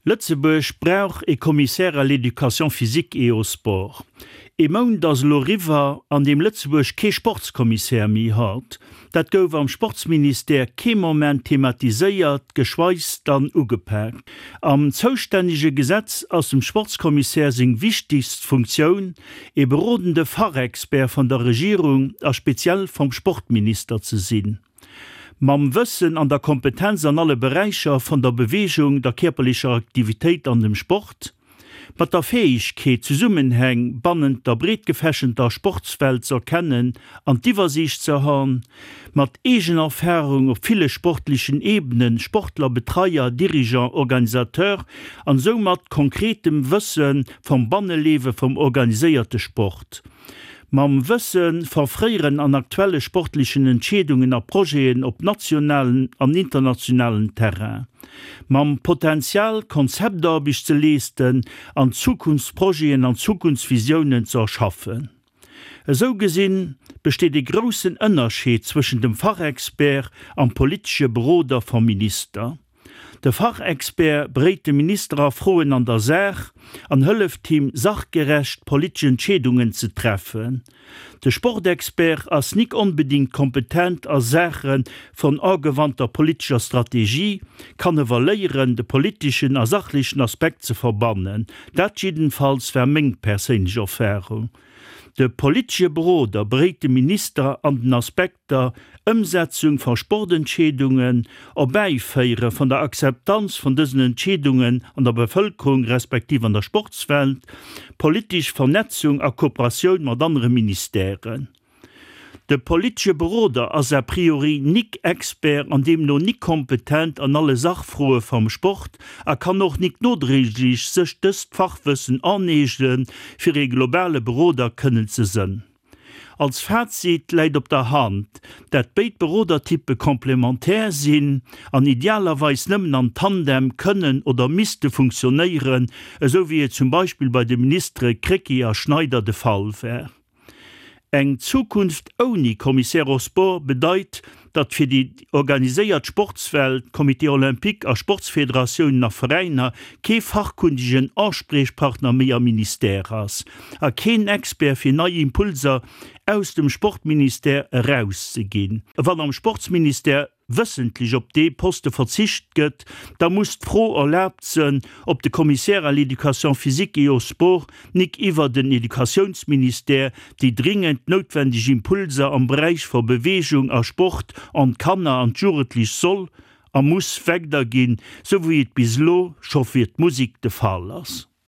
Lëtzebuerg brauch e Commissaire à l'éducation physique et au sport. Ee Mount ass elo eriwwer, an deem Lëtzebuerg kee Sportskommissär méi hat. Dat gouf am Sportsministère kee Moment thematiséiert, geschweis dann ugepaakt. Am zoustännege Gesetz ass dem Sportskommissär seng wichtegst Funktioun, ee berodende Fachexpert von der Regierung a speziell vom Sportminister ze sinn. Mam Wëssen an der Kompetenz an alle Beräicher von der Bewegung, der kierperlecher Aktivitéit an dem Sport. Mat der Fäegkeet, Zesummenhäng bannent der breetgefächenter Sportswelt z'erkennen an d'Iwwersiicht ze han. Mat Eegenerfarung op ville sportlechen Ebenen, Sportler, Betreier, Dirigeant, Organisateur, an soumat konkretem Wësse vom Bannelewe vom organiséierte Sport. Mam Wësse va fréieren an aktuelle sportlechen Entscheedungen a Projeten op nationalen an internationalen Terrain. Mam Potenzial, Konzeptarbecht ze leesten an Zukunftsprojeten an Zukunftsvisiounen ze erschaffen. Esou gesinn besteet e groussen Ënnerscheed zwëschen dem Fachexpert am politesche Beroder vam Minister. De Fachexpert beréit de Minister a Froen an der Saach an hëlleft him sachgerecht politesch Entscheedungen ze treffen. De Sportexpert ass nik onbedingt kompetent a Saache von agewandter politescher Strategie, kann ewer léieren de politeschen a sachlechen Aspekt ze verbannen. Dat jiddenfalls war meng perséinlech Erfahrung. De politesche Beroder beréit de Minister an den Aspekter Ëmsetzung va Sportentscheedungen, Erbäiféiere von der Akzeptanz von dësen Entscheedungen an der Bevëlkerung respektiv an der Sportswelt, politesch Vernetzung a Kooperatioun mat anere Ministèren. De politesche Beroder ass a priori nik Expert an deemno nik kompetent an alle Sachfroe vam Sport a kann och nik nodréiglech sech dëst Fachwëssen aneegnen, fir ee globale Beroder kënnen ze sënn. Als Fazit läit op der Hand, dat béid Berodertyppe komplementär sinn an idealerweis nëmmen an Tandem kënnen oder misste funktionéieren, esou wéi et zum Beispill bei de Ministere Krecké a Schneider de Fall war. Eng Zukunft ouni Commissaire aux sports bedeit, datt fir déi organiséiert Sportswelt, Comité olympique a Sportsfederatiounen a Veräiner, kee fachkundegen Anspriechpartner méi am Ministère ass a keen Expert fir nei Impulser aus dem Sportministère erauszeginn. Wann am Sportsministère wëssentlech op dee Poste verzicht gëtt, da muss d'Fro erlaabt sënn, ob de Commissaire à l'éducation physique et au sport nik iwwer den Educatiounsministère déi dringend noutwendeg Impulser am Beräich ver Bewegung a Sport an d'Kanner an d'Jugendlech soll a muss wegderginn, sou wéi et bis elo scho fir d'Musik de Fall ass.